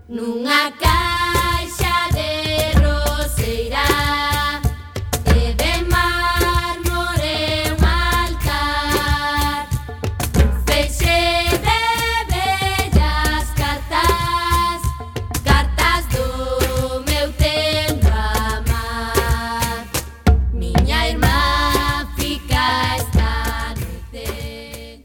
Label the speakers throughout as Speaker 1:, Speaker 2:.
Speaker 1: Nunha caixa de roseira e de mármore un altar, feixe de bellas cartas, cartas do meu tempo amar. Miña irmá fica esta noite.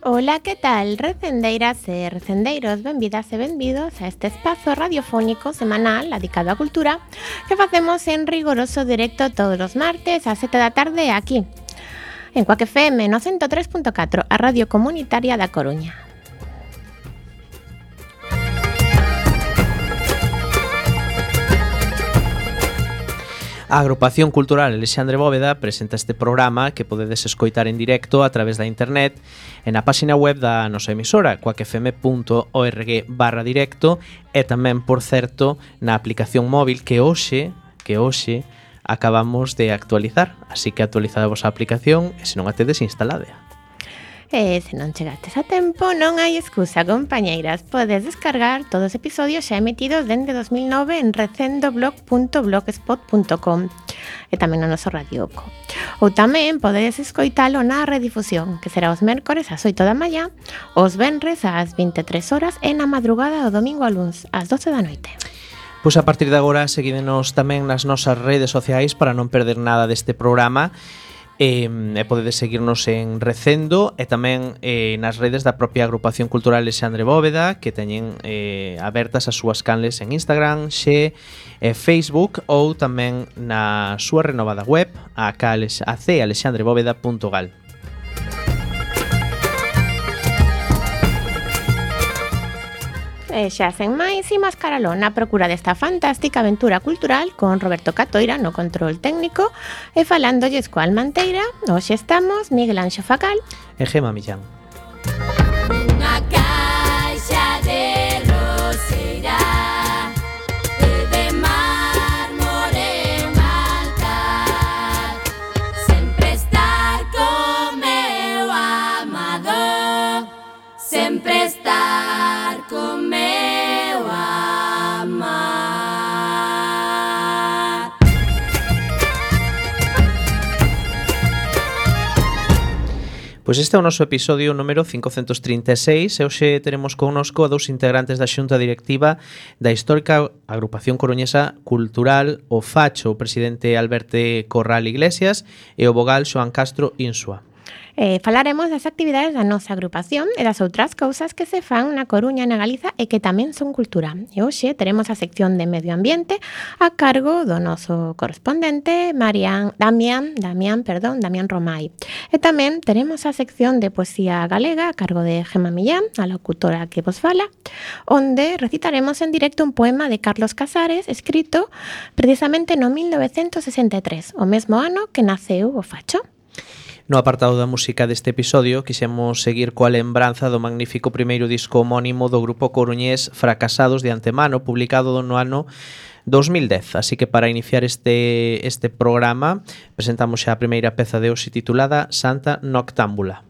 Speaker 2: Ola, que tal, recendeiras e recendeiros? Benvidas e benvidos a este espazo radiofónico semanal dedicado á cultura que facemos en rigoroso directo todos os martes a 7 da tarde aquí, en Cuac FM no 103.4, a radio comunitaria da Coruña.
Speaker 3: A Agrupación Cultural Alexandre Bóveda presenta este programa que podedes escoitar en directo a través da internet e na páxina web da nosa emisora cuacfm.org/directo e tamén, por certo, na aplicación móvil que hoxe acabamos de actualizar, así que actualizada a vosa aplicación e se non a tedes instalada.
Speaker 2: E se non chegastes a tempo, non hai excusa, compañeiras. Podes descargar todos os episodios xa emitidos dende 2009 en recendoblog.blogspot.com e tamén no noso radioco. Ou tamén podedes escoitalo na redifusión, que será os mércores ás 8 da mañá, os venres ás 23 horas e na madrugada do domingo a luns ás 12 da noite.
Speaker 3: Pois a partir de agora seguídenos tamén nas nosas redes sociais para non perder nada deste programa. E podedes seguirnos en Recendo e tamén nas redes da propia Agrupación Cultural Alexandre Bóveda, que teñen abertas as súas canles en Instagram, Xe e Facebook, ou tamén na súa renovada web acalexandrebóveda.gal.
Speaker 2: E xa sen máis, imos caralón na procura desta fantástica aventura cultural con Roberto Catoira no control técnico e falándolles coa Almanteira. Hoxe estamos Miguel Anxo Facal
Speaker 3: E Gema Millán.
Speaker 1: Unha caixa de roseira e de mármore un altar, sempre estar con meu amado, sempre estar con meu amar.
Speaker 3: Pois este é o noso episodio número 536 e hoxe teremos connosco a dous integrantes da xunta directiva da histórica Agrupación Coruñesa Cultural, o Facho, o presidente Alberto Corral Iglesias e o vogal Xoán Castro Insua.
Speaker 2: Falaremos das actividades da nosa agrupación e das outras cousas que se fan na Coruña e na Galiza e que tamén son cultura. E hoxe teremos a sección de medio ambiente a cargo do noso correspondente Damián Romai. E tamén teremos a sección de poesía galega a cargo de Gema Millán, a locutora que vos fala, onde recitaremos en directo un poema de Carlos Casares escrito precisamente no 1963, o mesmo ano que naceu o Facho.
Speaker 3: No apartado da música deste episodio quixemos seguir coa lembranza do magnífico primeiro disco homónimo do grupo coruñés Fracasados de Antemano, publicado no ano 2010. Así que para iniciar este programa presentamos xa a primeira peza de hoxe titulada Santa Noctámbula.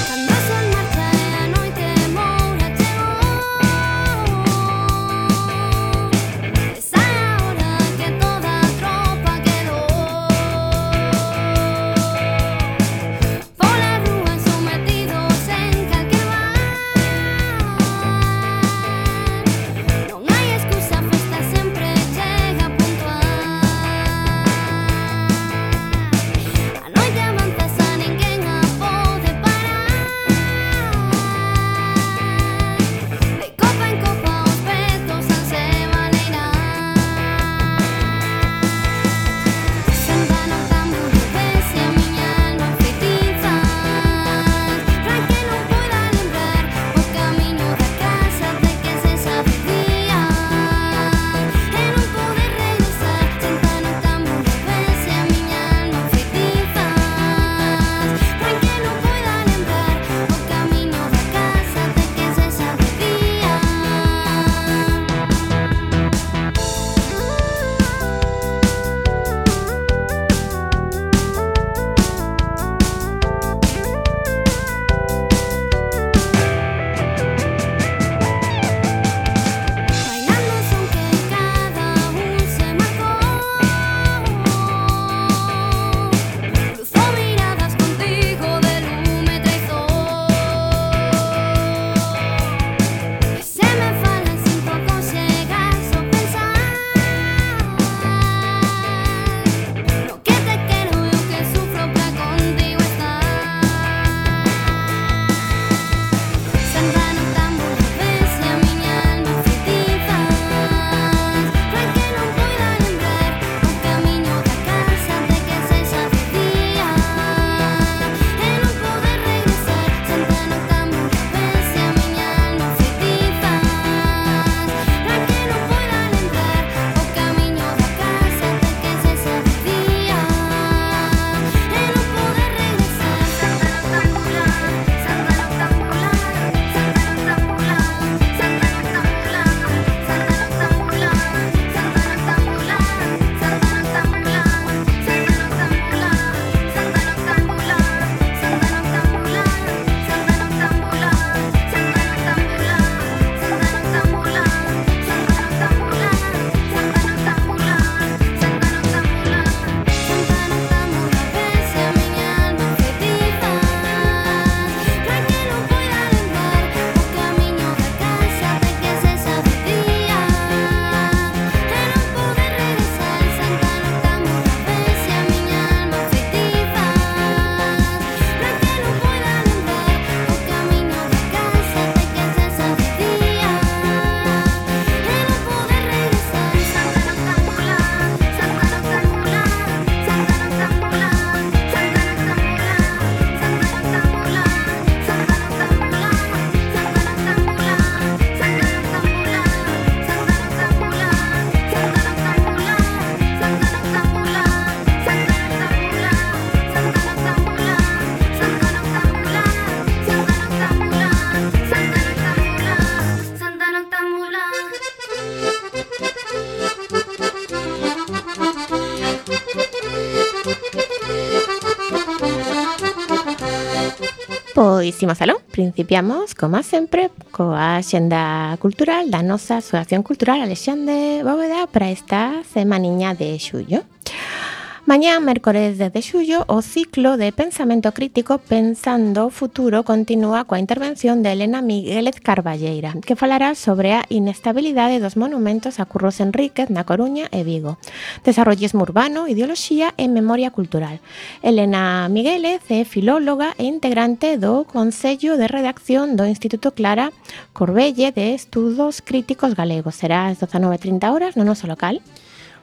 Speaker 1: Cando o sol marcha e a noite moura chegou,
Speaker 2: Pois imos aló, principiamos, como sempre, coa xenda cultural da nosa Asociación Cultural Alexandre Bóveda para esta semaniña de xullo. Mañá, mércores 10 de xullo, o ciclo de pensamento crítico Pensando o Futuro continúa coa intervención de Elena Miguélez Carballeira, que falará sobre a inestabilidade dos monumentos a Curros Enríquez na Coruña e Vigo, desarrollismo urbano, ideoloxía e memoria cultural. Elena Miguélez é filóloga e integrante do Consello de Redacción do Instituto Clara Corbelle de Estudos Críticos Galegos. Será ás 19:30 no noso local.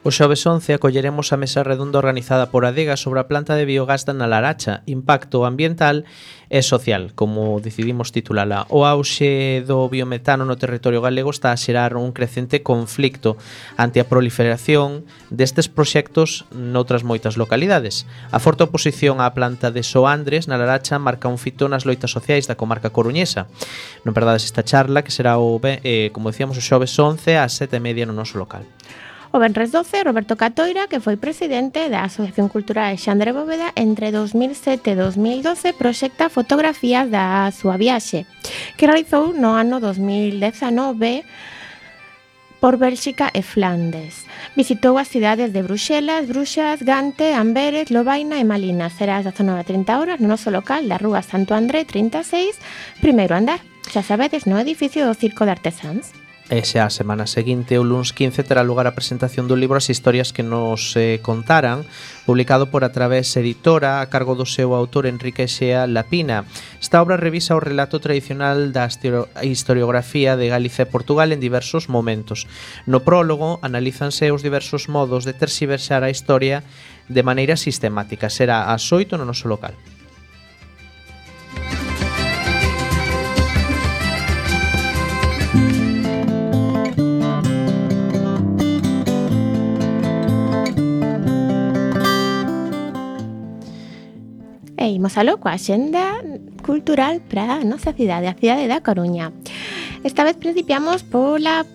Speaker 3: O xoves 11 acolleremos a mesa redonda organizada por Adega sobre a planta de biogás da Nalaracha, impacto ambiental e social, como decidimos titulala. O auxe do biometano no territorio galego está a xerar un crecente conflicto ante a proliferación destes proxectos noutras moitas localidades. A forte oposición á planta de Soandres, Nalaracha, marca un fito nas loitas sociais da comarca coruñesa. Non perdades esta charla, que será, como decíamos, o xoves 11 ás 7:30 no noso local.
Speaker 2: O venres 12, Roberto Catoira, que foi presidente da Asociación Cultural Alexandre Bóveda entre 2007 e 2012, proxecta fotografías da súa viaxe, que realizou no ano 2019 por Bélxica e Flandes. Visitou as cidades de Bruxelas, Bruxas, Gante, Amberes, Lovaina e Malinas. Será ás 19:30 no noso local da Rúa Santo André 36, primeiro andar. Xa sabedes, no edificio do Circo de Artesáns.
Speaker 3: E xa a semana seguinte, o luns 15, terá lugar a presentación do libro As historias que nos contaran, publicado por A Través Editora, a cargo do seu autor Enrique Xea Lapina. Esta obra revisa o relato tradicional da historiografía de Galicia e Portugal en diversos momentos. No prólogo, analízanse os diversos modos de terxiversar a historia de maneira sistemática. Será ás 8 no noso local.
Speaker 2: E imos aló coa xenda cultural para a nosa cidade, a cidade da Coruña. Esta vez principiamos pola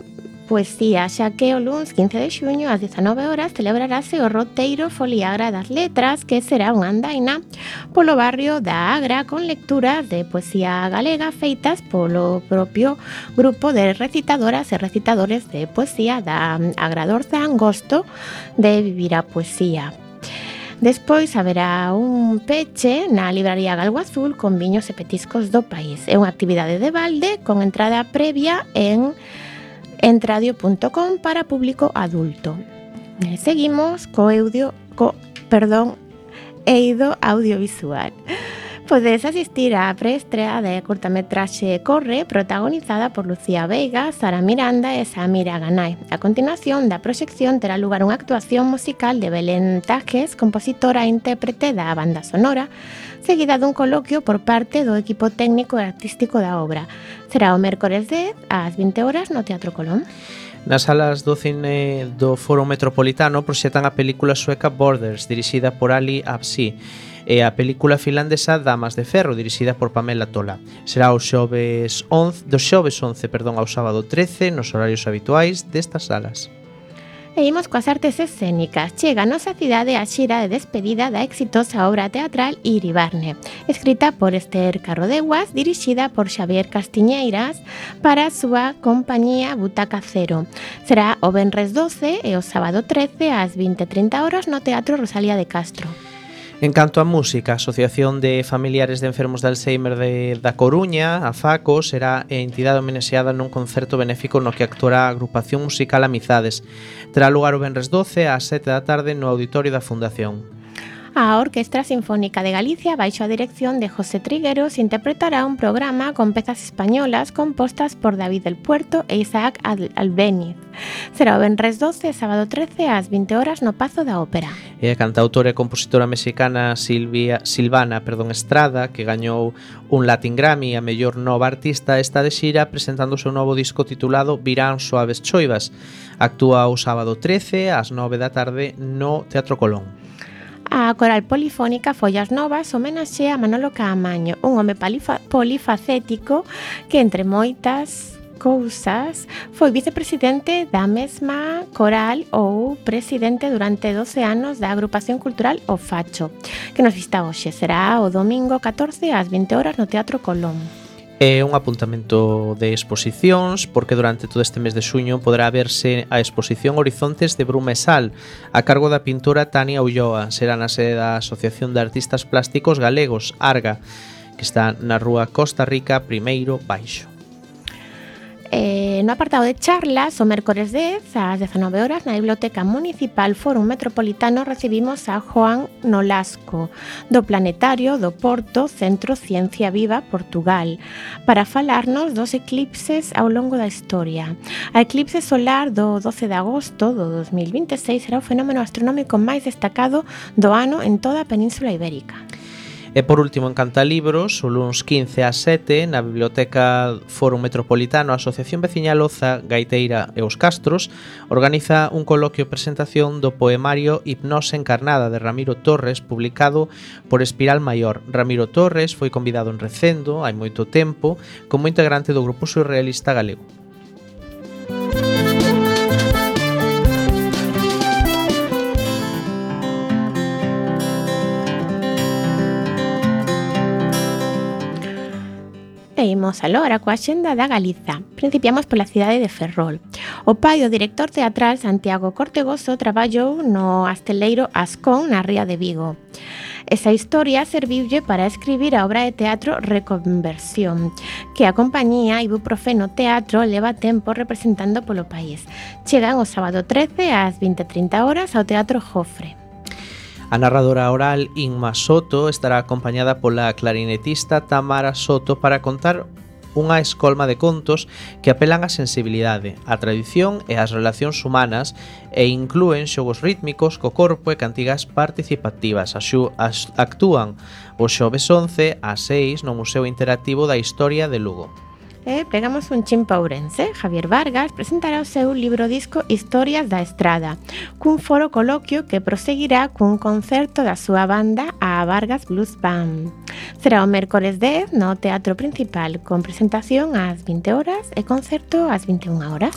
Speaker 2: poesía, xa que o luns 15 de xuño ás 19 celebrarase o roteiro Foliagra das Letras, que será unha andaina polo barrio da Agra con lecturas de poesía galega feitas polo propio grupo de recitadoras e recitadores de poesía da Agradorza Angosto de Vivir a Poesía. Despois haberá un peche na libraría Galgo Azul con viños e petiscos do país. É unha actividade de balde con entrada previa en entradio.com para público adulto. Seguimos eido audiovisual. Podes asistir á preestrea de curtametraxe Corre, protagonizada por Lucía Veiga, Sara Miranda e Samira Ganay. A continuación da proxección terá lugar unha actuación musical de Belén Tajes, compositora e intérprete da banda sonora, seguida dun coloquio por parte do equipo técnico e artístico da obra. Será o mércores 10 ás 20 no Teatro Colón.
Speaker 3: Nas salas do cine do Foro Metropolitano proxectan a película sueca Borders, dirixida por Ali Absi, e a película finlandesa Damas de Ferro, dirixida por Pamela Tola. Será o xoves 11 ao sábado 13 nos horarios habituais destas salas.
Speaker 2: E imos coas artes escénicas. Chega a nosa cidade a xira de despedida da exitosa obra teatral Iribarne, escrita por Esther Carrodeguas, dirixida por Xavier Castiñeiras para a súa compañía Butaca Cero. Será o venres 12 e o sábado 13 ás 20:30 no Teatro Rosalía de Castro.
Speaker 3: En canto á música, a Asociación de Familiares de Enfermos de Alzheimer da Coruña, a FACO, será a entidade homenaxeada nun concerto benéfico no que actuará a agrupación musical Amizades. Terá lugar o venres 12 ás 7 no auditorio da Fundación.
Speaker 2: A Orquestra Sinfónica de Galicia, baixo a dirección de José Trigueros, interpretará un programa con pezas españolas compostas por David del Puerto e Isaac Albéniz. Será o venres 12 e sábado 13 ás 20 no Pazo da Ópera.
Speaker 3: E a cantautora e compositora mexicana Silvana Estrada, que gañou un Latin Grammy a mellor nova artista, está de xira presentando o seu novo disco titulado Virán Suaves Choivas. Actúa o sábado 13 ás 9 no Teatro Colón.
Speaker 2: A coral polifónica Follas Novas homenaxea a Manolo Caamaño, un home polifacético que, entre moitas cousas, foi vicepresidente da mesma coral ou presidente durante 12 anos da agrupación cultural O Facho, que nos vista hoxe. Será o domingo 14 ás 20 horas no Teatro Colón.
Speaker 3: É un apuntamento de exposicións porque durante todo este mes de xuño poderá verse a exposición Horizontes de Bruma e Sal a cargo da pintora Tania Ulloa. Será na sede da Asociación de Artistas Plásticos Galegos, ARGA, que está na rúa Costa Rica, primeiro baixo.
Speaker 2: No apartado de charlas, o mércores 10 ás 19 horas na Biblioteca Municipal Fórum Metropolitano recibimos a Joan Nolasco do Planetario do Porto Centro Ciencia Viva Portugal para falarnos dos eclipses ao longo da historia. A eclipse solar do 12 de agosto do 2026 será o fenómeno astronómico máis destacado do ano en toda a Península Ibérica.
Speaker 3: E por último, en Cantalibros, o luns 15 ás 7, na Biblioteca Fórum Metropolitano, a Asociación Veciñal Oza, Gaiteira e os Castros organiza un coloquio presentación do poemario Hipnose Encarnada de Ramiro Torres, publicado por Espiral Maior. Ramiro Torres foi convidado en Recendo hai moito tempo como integrante do grupo surrealista galego.
Speaker 2: E imos alora coa xenda da Galiza. Principiamos pola cidade de Ferrol. O pai do director teatral Santiago Cortegoso traballou no Asteleiro Ascón na ría de Vigo. Esa historia serviulle para escribir a obra de teatro Reconversión, que a compañía Ibuprofeno Teatro leva tempo representando polo país. Chegan o sábado 13 ás 20:30 horas ao Teatro Jofre.
Speaker 3: A narradora oral Inma Soto estará acompañada pola clarinetista Tamara Soto para contar unha escolma de contos que apelan á sensibilidade, á tradición e ás relacións humanas e inclúen xogos rítmicos co corpo e cantigas participativas. Actúan o xoves 11 ás 6 no Museo Interactivo da Historia de Lugo.
Speaker 2: Pegamos un chin pa Ourense. Javier Vargas presentará o seu libro disco Historias da Estrada, cun foro coloquio que proseguirá cun concerto da súa banda, a Vargas Blues Band. Será o mércores 10 no Teatro Principal, con presentación ás 20 horas e concerto ás 21 horas.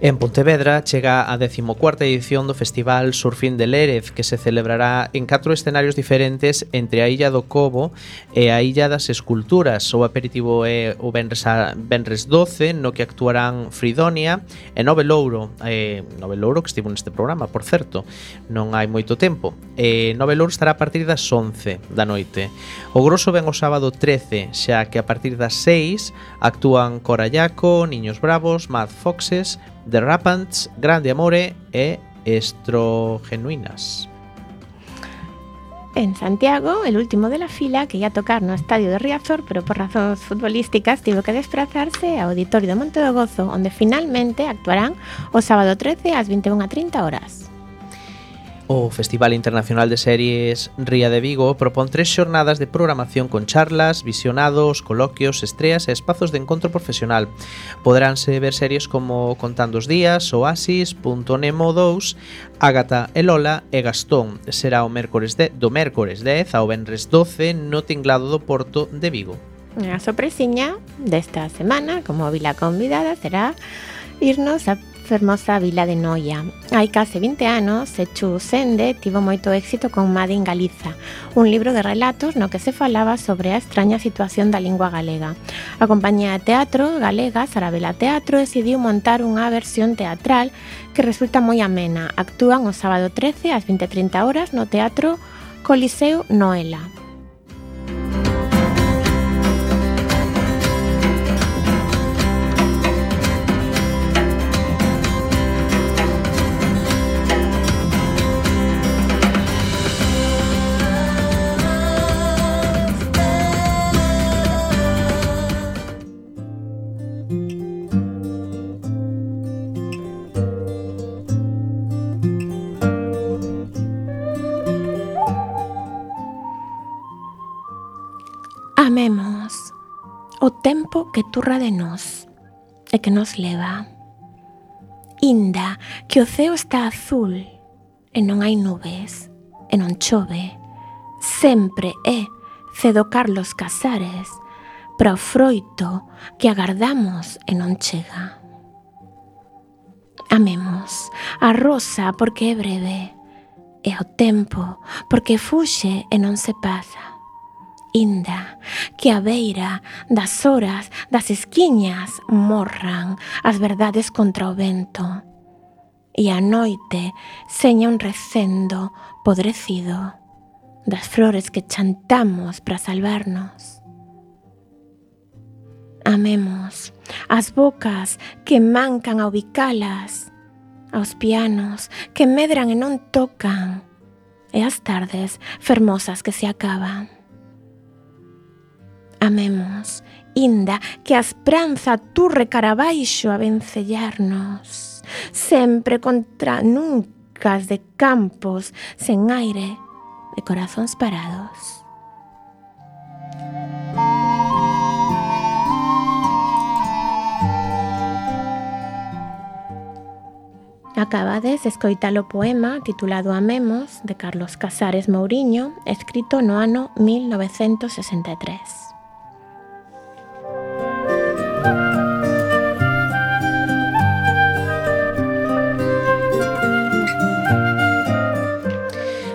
Speaker 3: En Pontevedra chega a 14ª edición do Festival Surfín de Lérez, que se celebrará en 4 escenarios diferentes entre a Illa do Cobo e a Illa das Esculturas. O aperitivo é o venres 12, no que actuarán Fridonia e Nove Louro, que estivo neste programa, por certo, non hai moito tempo. Nove Louro estará a partir das 11 da noite. O grosso ven o sábado 13, xa que a partir das 6 actúan Corallaco, Niños Bravos, Mad Foxes, The Rapants, Grande Amore e Estrogenuinas.
Speaker 2: En Santiago, el último de la fila, que ia tocar no estadio de Riazor, pero por razóns futbolísticas tivo que desplazarse ao Auditorio de Monte do Gozo, onde finalmente actuarán o sábado 13 ás 21:30 horas.
Speaker 3: O Festival Internacional de Series Ría de Vigo propón 3 xornadas de programación con charlas, visionados, coloquios, estreas e espazos de encontro profesional. Poderánse ver series como Contando os días, Oasis, Punto Nemo 2, Ágata e Lola e Gastón. Será do mércores 10 ao venres 12 no Tinglado do Porto de Vigo.
Speaker 2: A sorpresiña desta semana, como vila convidada, será irnos a fermosa vila de Noia. Hai case 20 anos, Sechu Sende tivo moito éxito con Made in Galiza, un libro de relatos no que se falaba sobre a extraña situación da lingua galega. A compañía de teatro galega Sarabela Teatro decidiu montar unha versión teatral que resulta moi amena. Actúan o sábado 13 ás 20:30 horas no Teatro Coliseo Noela. Amemos o tempo que turra de nós e que nos leva. Inda que o ceo está azul e non hai nubes e non chove, sempre é cedo Carlos Casares, para o froito que agardamos e non chega. Amemos a rosa porque é breve, e ao tempo porque fuxe e non se pasa. Inda que a beira das horas das esquiñas morran as verdades contra o vento, e a noite seña un recendo podrecido das flores que chantamos para salvarnos. Amemos as bocas que mancan a ubicalas, aos pianos que medran e non tocan, e as tardes fermosas que se acaban. Amemos, inda que a esperanza turre cara abaixo a vencellarnos, sempre contra nuncas de campos sen aire, de corazóns parados. Acabades de escoitar o poema titulado Amemos, de Carlos Casares Mouriño, escrito no ano 1963.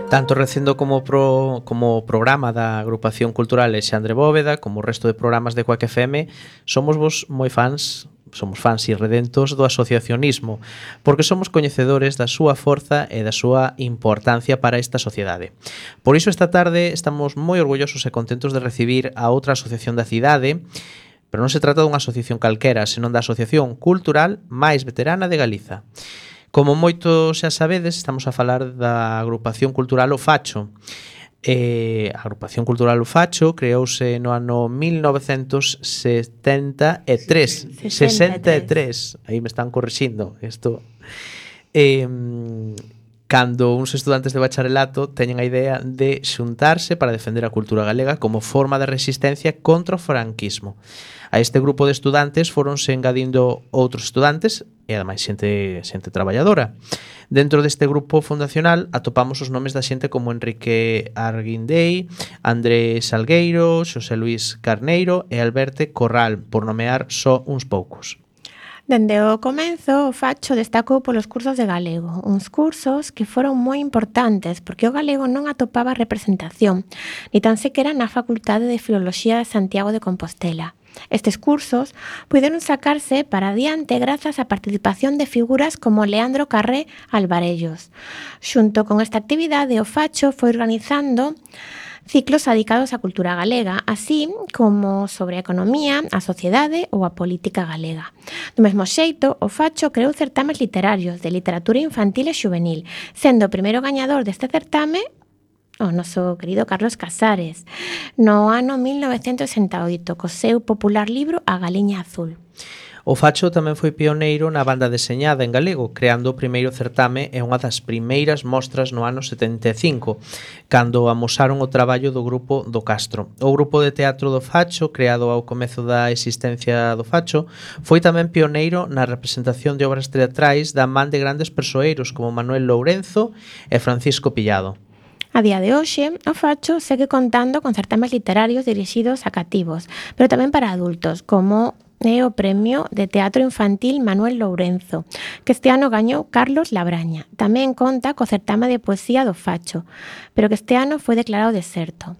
Speaker 3: Tanto Recendo como programa da Agrupación Cultural Alexandre Bóveda, como o resto de programas de Quack FM, somos vos moi fans, somos fans irredentos do asociacionismo, porque somos coñecedores da súa forza e da súa importancia para esta sociedade. Por iso esta tarde estamos moi orgullosos e contentos de recibir a outra asociación da cidade, pero non se trata dunha asociación calquera, senón da asociación cultural máis veterana de Galiza. Como moito xa sabedes, estamos a falar da Agrupación Cultural O Facho. A Agrupación Cultural O Facho creouse no ano 1963. 63. Aí me están corrixindo isto. Cando uns estudantes de bacharelato teñen a idea de xuntarse para defender a cultura galega como forma de resistencia contra o franquismo. A este grupo de estudantes foronse engadindo outros estudantes e ademais xente traballadora. Dentro deste grupo fundacional atopamos os nomes da xente como Enrique Arguindei, Andrés Salgueiro, Xosé Luís Carneiro e Alberto Corral, por nomear só uns poucos.
Speaker 2: Dende o comenzo, o Facho destacou polos cursos de galego, uns cursos que foron moi importantes porque o galego non atopaba representación, ni tan sequera na Facultade de Filoloxía de Santiago de Compostela. Estes cursos puideron sacarse para adiante grazas á participación de figuras como Leandro Carré Alvarellos. Xunto con esta actividade, o Facho foi organizando ciclos dedicados á cultura galega, así como sobre a economía, a sociedade ou a política galega. Do mesmo xeito, o Facho creou certames literarios de literatura infantil e xuvenil, sendo o primeiro gañador deste certame o noso querido Carlos Casares, no ano 1968, co seu popular libro A Galiña Azul.
Speaker 3: O Facho tamén foi pioneiro na banda deseñada en galego, creando o primeiro certame e unha das primeiras mostras no ano 75, cando amosaron o traballo do grupo do Castro. O grupo de teatro do Facho, creado ao comezo da existencia do Facho, foi tamén pioneiro na representación de obras teatrais da man de grandes persoeiros como Manuel Lourenzo e Francisco Pillado.
Speaker 2: A día de hoxe, o Facho segue contando con certames literarios dirixidos a cativos, pero tamén para adultos, como é o Premio de Teatro Infantil Manuel Lourenzo, que este ano gañou Carlos Labraña. Tamén conta co certame de poesía do Facho, pero que este ano foi declarado deserto.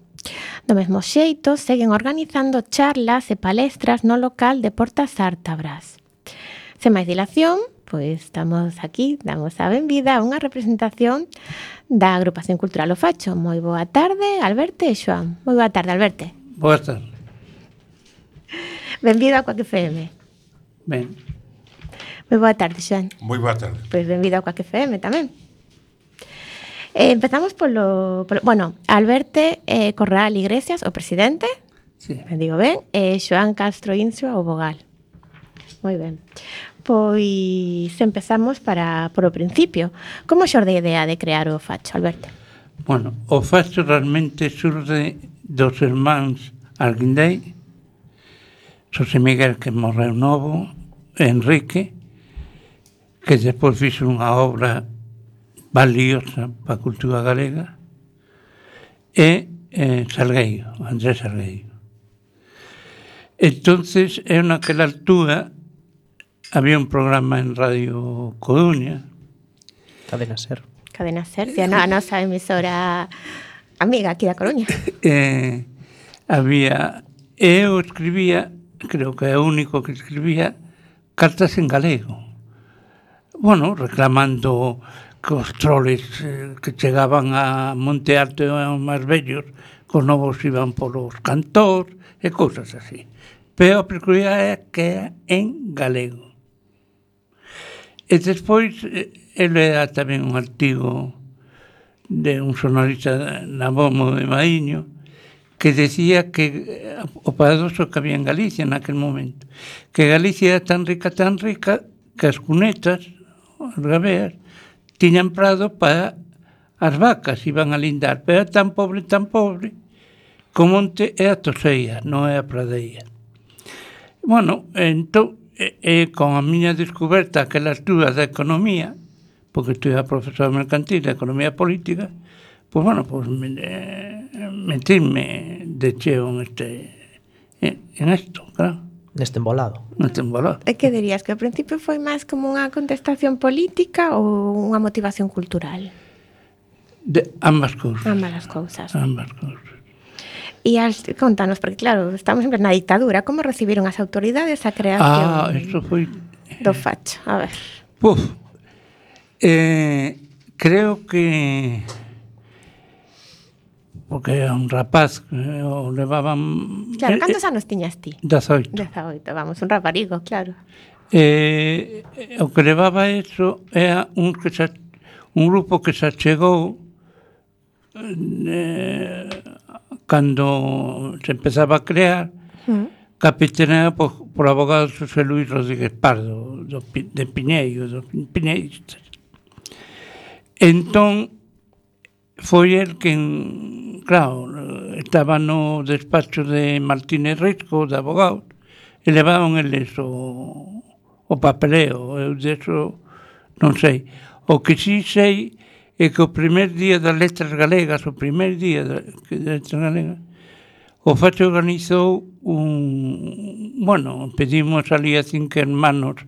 Speaker 2: Do mesmo xeito, seguen organizando charlas e palestras no local de Portas Ártabras. Sen máis dilación, pois estamos aquí, damos a benvida a unha representación da Agrupación Cultural O Facho. Moi boa tarde, Alberto e Xoán. Moi boa tarde, Alberto.
Speaker 4: Boa tarde.
Speaker 2: Benvido a Quack FM.
Speaker 4: Ben.
Speaker 2: Moi boa tarde, Xoán.
Speaker 5: Moi boa tarde.
Speaker 2: Pois benvido a Quack FM tamén. Empezamos bueno, Alberto Corral Iglesias, o presidente,
Speaker 4: Sí.
Speaker 2: me digo ben, e Xoán Castro Insua, o vogal. Moi ben. Pois empezamos por o principio. Como xorde a idea de crear o Facho, Alberto?
Speaker 4: Bueno, o Facho realmente surge dos irmáns Arguindei, Xosé Miguel, que morreu novo, e Enrique, que despois fixo unha obra valiosa para a cultura galega, e Salgueiro, Andrés Salgueiro. Entonces, eu naquela altura había un programa en Radio Coruña.
Speaker 3: Cadena Ser.
Speaker 2: Cadena Ser, a nosa emisora amiga aquí da Coruña.
Speaker 4: Eu escribía, creo que é o único que escribía, cartas en galego. Bueno, reclamando que os troles que chegaban a Monte Alto e aos máis vellos, que os novos iban polos cantores e cousas así. Pero a peculiaridade é que é en galego. E despois, ele era tamén un artigo de un xornalista Nabomo de Maíño, que decía que o paradoxo que había en Galicia naquel momento, que Galicia era tan rica, que as cunetas, as gabeas, tiñan prado para as vacas, iban a lindar, pero era tan pobre, que o monte é a toseira, non é a pradeira. Bueno, entón, con a miña descoberta aquela altura da economía, porque estudiaba profesor mercantil de economía política, pues bueno, pues metirme de cheo en esto, claro.
Speaker 3: Neste embolado.
Speaker 2: E que dirías, que ao principio foi máis como unha contestación política ou unha motivación cultural?
Speaker 4: De ambas cousas.
Speaker 2: Ambas as cousas.
Speaker 4: Ambas cousas.
Speaker 2: E contanos, porque claro, estamos sempre na ditadura, como recibiron as autoridades a creación
Speaker 4: eso foi
Speaker 2: do facho? A ver.
Speaker 4: Puf. Creo que porque era un rapaz que o levaban...
Speaker 2: Claro, cantos anos tiñas ti?
Speaker 4: 18.
Speaker 2: 18, vamos, un raparigo, claro.
Speaker 4: O que levaba eso era un grupo que se achegou cando se empezaba a crear, capitaneada por abogado José Luis Rodríguez Pardo, de Piñeiro, dos piñeiristas. Entón, foi el que, claro, estaba no despacho de Martínez Risco, de abogado, e levaban eles o papeleo, eu deso non sei. O que sí sei é que o primer día das letras galegas, o Facho organizou pedimos ali a 5 hermanos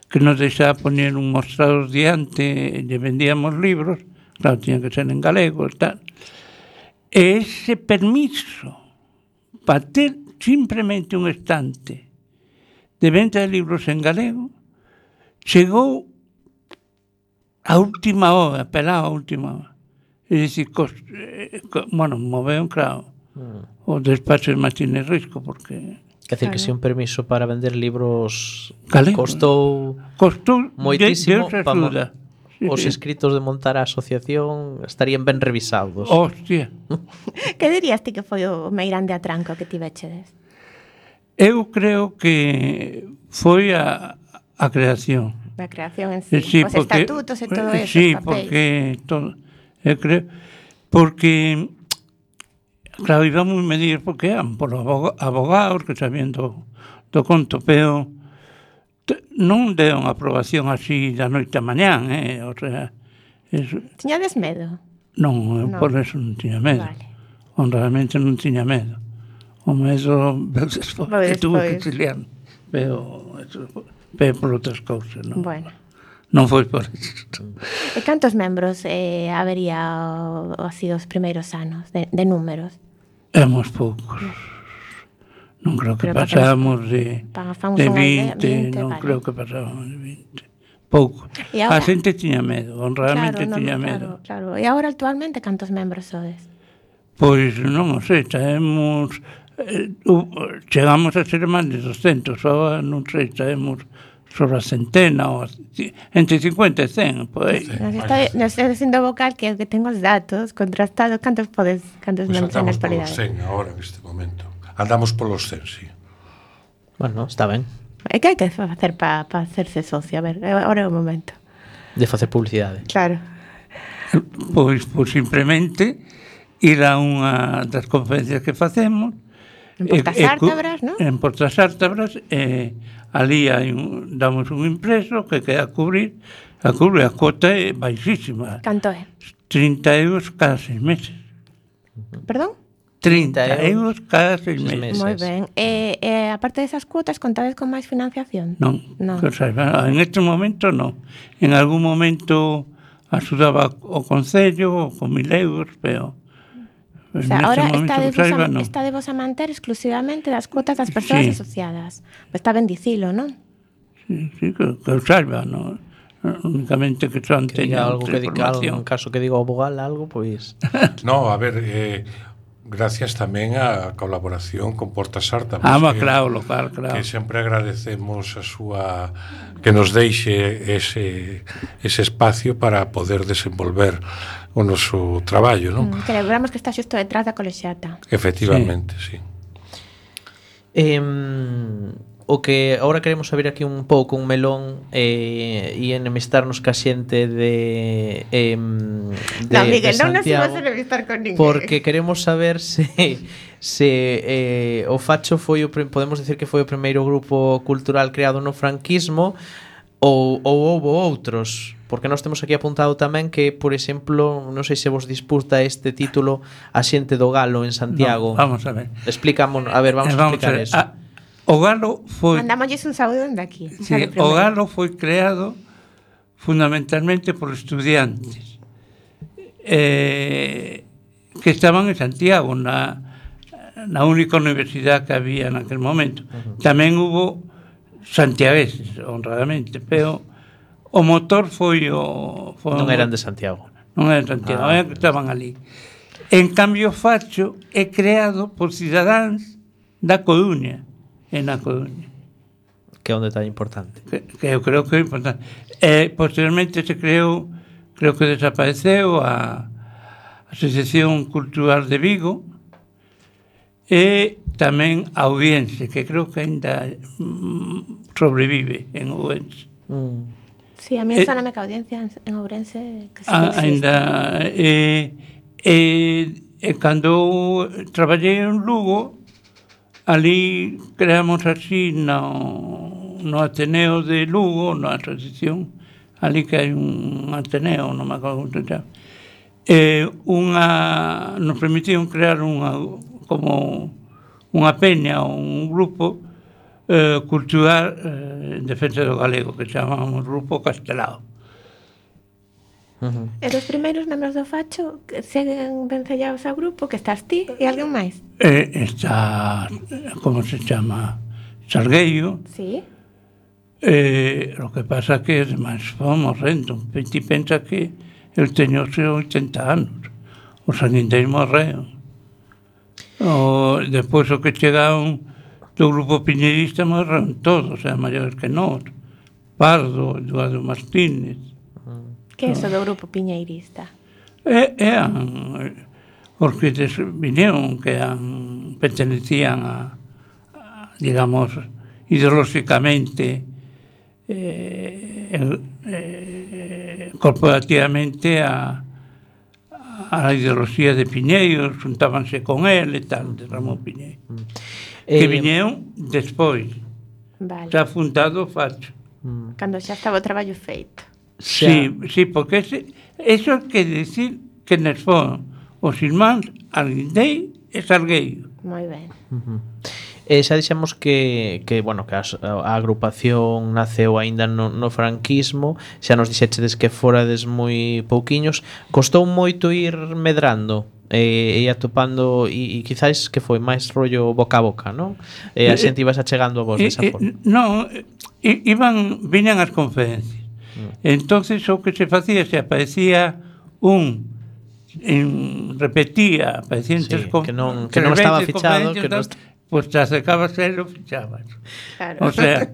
Speaker 4: que nos deixaba poñer un mostrador diante, e lle vendíamos libros, claro, tiñan que ser en galego e tal. E ese permiso para ter simplemente un estante de venta de libros en galego chegou a última hora, pelado a última hora. É dicir, moveu, claro, o despacho de Martínez Risco, porque...
Speaker 3: Quer dizer, que se un permiso para vender libros
Speaker 4: galegos
Speaker 3: costou moitísimo, os escritos de montar a asociación estarían ben revisados.
Speaker 4: Hostia.
Speaker 2: Que dirías ti que foi o máis grande atranco que tivechedes?
Speaker 4: Eu creo que foi a creación.
Speaker 2: A creación en sí, os estatutos e todo eso,
Speaker 4: sí,
Speaker 2: os papeis.
Speaker 4: Porque todo, eu creo, porque claro, íbamos medir porque eran por abogados que sabían do conto, pero non deron aprobación así da noite a mañán, o sea...
Speaker 2: Tiñades medo?
Speaker 4: Non, por eso non tiña medo.
Speaker 2: Vale.
Speaker 4: Honradamente non tiña medo. O medo despois que tuve que exiliar, pero por outras cousas, non?
Speaker 2: Bueno.
Speaker 4: Non foi por isto.
Speaker 2: E cantos membros habería así os primeiros anos de números?
Speaker 4: Éramos poucos. Non creo que pasábamos de 20, non creo que pasábamos de 20. Pouco. A xente tiña medo, honradamente tiña medo.
Speaker 2: Claro. E agora actualmente cantos membros sodes?
Speaker 4: Pois non o sei, chegamos a ser máis de 200, agora non sei, sabemos sobre a centena, ou entre 50 e 100, por aí.
Speaker 2: Nos está dicindo vocal que tengo os datos contrastados, cantos membros en a actualidade?
Speaker 5: Pois andamos polos 100 agora, neste momento. Andamos polos 100, sí.
Speaker 3: Bueno, está ben.
Speaker 2: E que hai que facer para hacerse socio? A ver, agora é o momento.
Speaker 3: De facer publicidade.
Speaker 2: Claro.
Speaker 4: Pois simplemente ir a unha das conferencias que facemos.
Speaker 2: En Portas Ártabras, non?
Speaker 4: En Portas Ártabras, ali damos un impreso que queda a cubrir a cuota é baixísima.
Speaker 2: Canto é?
Speaker 4: 30 euros cada 6 meses.
Speaker 2: Perdón?
Speaker 4: 30 euros cada 6 meses.
Speaker 2: Moi ben. Aparte desas cuotas, contades con máis financiación?
Speaker 4: Non, que saiba, en este momento non. En algún momento axudaba o Concello con 1.000 euros, pero
Speaker 2: O sea, ahora estadevos a manter exclusivamente das cuotas das persoas asociadas. Pues está ben dicilo, non?
Speaker 4: Sí, que eu saiba, non? Únicamente que son
Speaker 3: Que diga algo, que diga algo,
Speaker 4: información.
Speaker 3: en caso que diga o vogal algo, pois...
Speaker 5: No, a ver, gracias tamén á colaboración con Portas Arta.
Speaker 4: Claro, local, claro.
Speaker 5: Que sempre agradecemos a súa que nos deixe ese espacio para poder desenvolver o noso traballo, non?
Speaker 2: Que lembramos que está xusto detrás da colexiata.
Speaker 5: Efectivamente, sí.
Speaker 3: O que agora queremos saber aquí un pouco un melón e enemistarnos ca xente de
Speaker 2: Non, Miguel, non nos
Speaker 3: Santiago,
Speaker 2: imos enemistar con ninguén.
Speaker 3: porque queremos saber se o Facho foi podemos decir que foi o primeiro grupo cultural creado no franquismo ou houve outros, porque nós temos aquí apuntado tamén que, por exemplo, non sei se vos disputa este título A xente do Galo en Santiago.
Speaker 4: No, vamos a ver.
Speaker 3: Vamos a explicar eso.
Speaker 4: O Galo foi...
Speaker 2: Mandámosles un saúdo dende aquí.
Speaker 4: Sí, o Galo foi creado fundamentalmente por estudiantes que estaban en Santiago, na única universidade que había naquel momento. Tamén hubo santiagueses, honradamente, pero o motor foi
Speaker 3: non eran de Santiago.
Speaker 4: Non eran de Santiago, que estaban ali. En cambio, Facho é creado por cidadáns da Coruña, na Coruña.
Speaker 3: Que é un detalle importante.
Speaker 4: Que eu creo que é importante. Posteriormente se creou, creo que desapareceu a Asociación Cultural de Vigo e tamén a Ourense, que creo que ainda sobrevive en Ourense.
Speaker 2: Sí, a mí soname que a audiencia en Ourense que sí
Speaker 4: ainda cando traballei en Lugo, ali creamos así no Ateneo de Lugo, na asociación, ali que hai un Ateneo, non me acordo como se chama, nos permitiron crear como unha peña, un grupo cultural en defensa do galego, que chamamos Grupo Castelao.
Speaker 2: E dos primeiros membros do Facho que seguen vencellados ao grupo, que estás ti e alguén máis?
Speaker 4: Está, como se chama, Salgueiro.
Speaker 2: Sí.
Speaker 4: Lo que pasa que además fomos morrendo. Ti pensa que eu teño 80 anos. Os anindeis morreron. Depois o que chegaron do grupo piñerista morreron todos, maiores que nós. Pardo, Eduardo Martínez.
Speaker 2: Que é iso do grupo piñeirista?
Speaker 4: Os que vinieron, que pertenecían a digamos, ideolóxicamente, corporativamente a ideoloxía de Piñeiro, xuntábanse con él e tal, de Ramón Piñeiro. Que vinieron despois.
Speaker 2: Vale.
Speaker 4: Xa fundado o Facho.
Speaker 2: Cando xa estaba o traballo feito.
Speaker 4: Sí, porque eso quer decir que nos foron os irmáns Alguindei e Salgueiro.
Speaker 2: Moi ben.
Speaker 3: Xa dixemos que a agrupación naceu aínda no franquismo, xa nos dixechedes que forades moi pouquiños. Costou moito ir medrando e atopando e quizás que foi máis rollo boca a boca, non? A xente ibas achegando a vos desa forma.
Speaker 4: Non, viñan as conferencias. Entonces o que se facía, se aparecía repetía, aparecía en tres
Speaker 3: conferencias, que non estaba fichado, que non
Speaker 4: pues te acercabas a él o fichabas.
Speaker 2: Claro.
Speaker 4: O sea,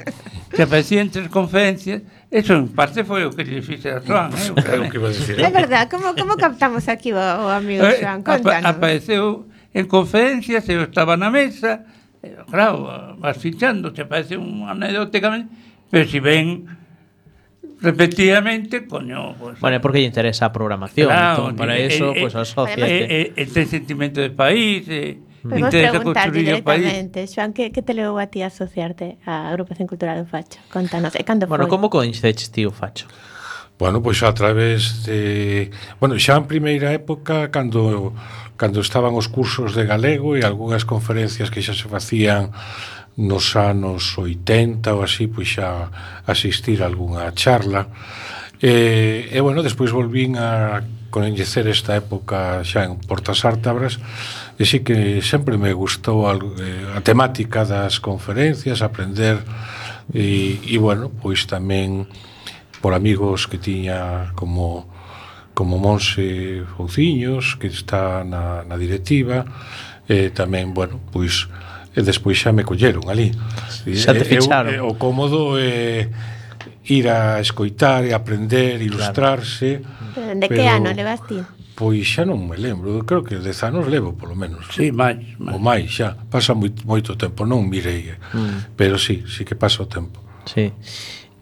Speaker 4: se aparecía en tres conferencias, eso en parte foi o que lle fixe a Joan,
Speaker 2: É verdad, como captamos aquí o amigo Joan? Contanos.
Speaker 4: Apareceu en conferencias, eu estaba na mesa, claro, vas fichando, te aparece anecdóticamente, pero si ven repetidamente, coño, pues...
Speaker 3: Bueno, porque lle interesa a programación,
Speaker 4: claro,
Speaker 3: para eso, pues asóciate.
Speaker 4: Ten sentimento de país,
Speaker 2: podemos preguntar directamente, Joan, que te levou a ti a asociarte á agrupación cultural do Facho? Contanos, e cando foi?
Speaker 3: Bueno, como coñeceches ti o Facho?
Speaker 5: Bueno, pois a través de... Bueno, xa en primeira época, cando cando estaban os cursos de galego e algunhas conferencias que xa se facían nos anos 80 ou así, pois xa asistir a algunha charla. E bueno, despois volvín a coñecer esta época xa en Portas Ártabras, e sí que sempre me gustou a temática das conferencias, aprender, e bueno, pois tamén por amigos que tiña como Monse Fouciños, que está na directiva, tamén, bueno, pois despois xa me colleron ali.
Speaker 3: Xa te ficharon.
Speaker 5: O cómodo é ir a escoitar e aprender, ilustrarse.
Speaker 2: Claro. De que ano levas ti?
Speaker 5: Pois xa non me lembro, creo que 10 anos levo, polo menos.
Speaker 4: Sí, máis.
Speaker 5: O máis, xa. Pasa moito tempo, non mirei. Pero sí que pasa o tempo.
Speaker 3: Sí.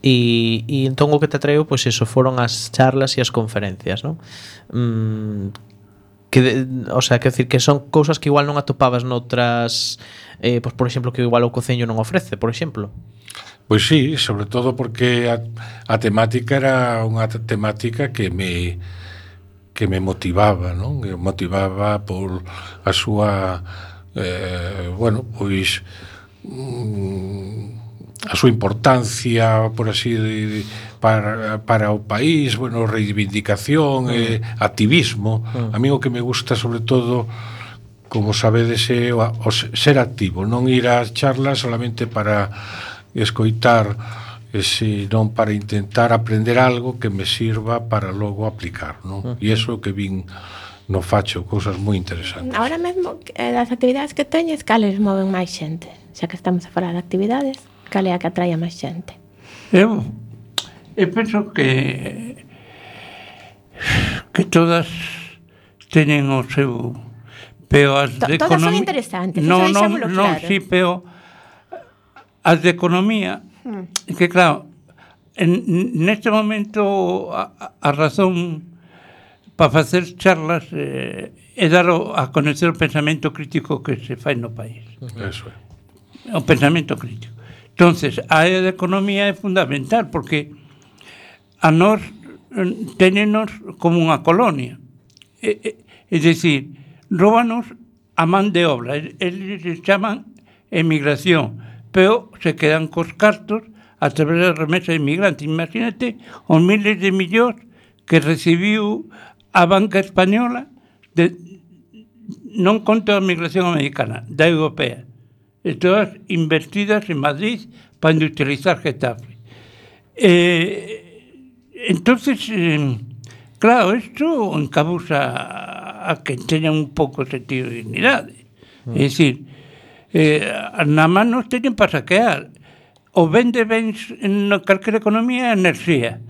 Speaker 3: E entón o que te atraiu, pois eso, foron as charlas e as conferencias, non? O sea, quero dicir que son cousas que igual non atopabas noutras, pois por exemplo, que igual o Concello non ofrece, por exemplo.
Speaker 5: Pois sí, sobre todo porque a temática era unha temática que me motivaba, non? Que motivaba por a súa bueno, pois a súa importancia, por así para o país, bueno, reivindicación, activismo. A mí o que me gusta sobre todo, como sabedes, é o ser activo, non ir ás charlas solamente para escoitar, senón para intentar aprender algo que me sirva para logo aplicar, non? E iso que vin no Facho, cousas moi interesantes.
Speaker 2: Ahora mesmo, das actividades que teñes, cales moven máis xente? Xa que estamos a falar de actividades, cal é a que atrae a máis xente?
Speaker 4: Eu penso que todas teñen o seu, pero as de
Speaker 2: todas son interesantes,
Speaker 4: non,
Speaker 2: claro.
Speaker 4: Sí, pero as de economía, que claro, neste momento a razón para facer charlas é dar a conocer o pensamento crítico que se fai no país.
Speaker 5: Eso é.
Speaker 4: O pensamento crítico. Entonces, a área de economía é fundamental, porque a nós tenenos como unha colonia. É dicir, róbanos a man de obra. Eles chaman emigración, pero se quedan cos cartos a través da remesa de inmigrantes. Imagínate os miles de millóns que recibiu a banca española, non conta a migración americana, da europea, e todas invertidas en Madrid para industrializar Getafe. Entonces, claro, isto encabusa a que teñan un pouco de sentido de dignidade. É dicir, na man nos teñen para saquear. O vende bens en calquera economía é enerxía.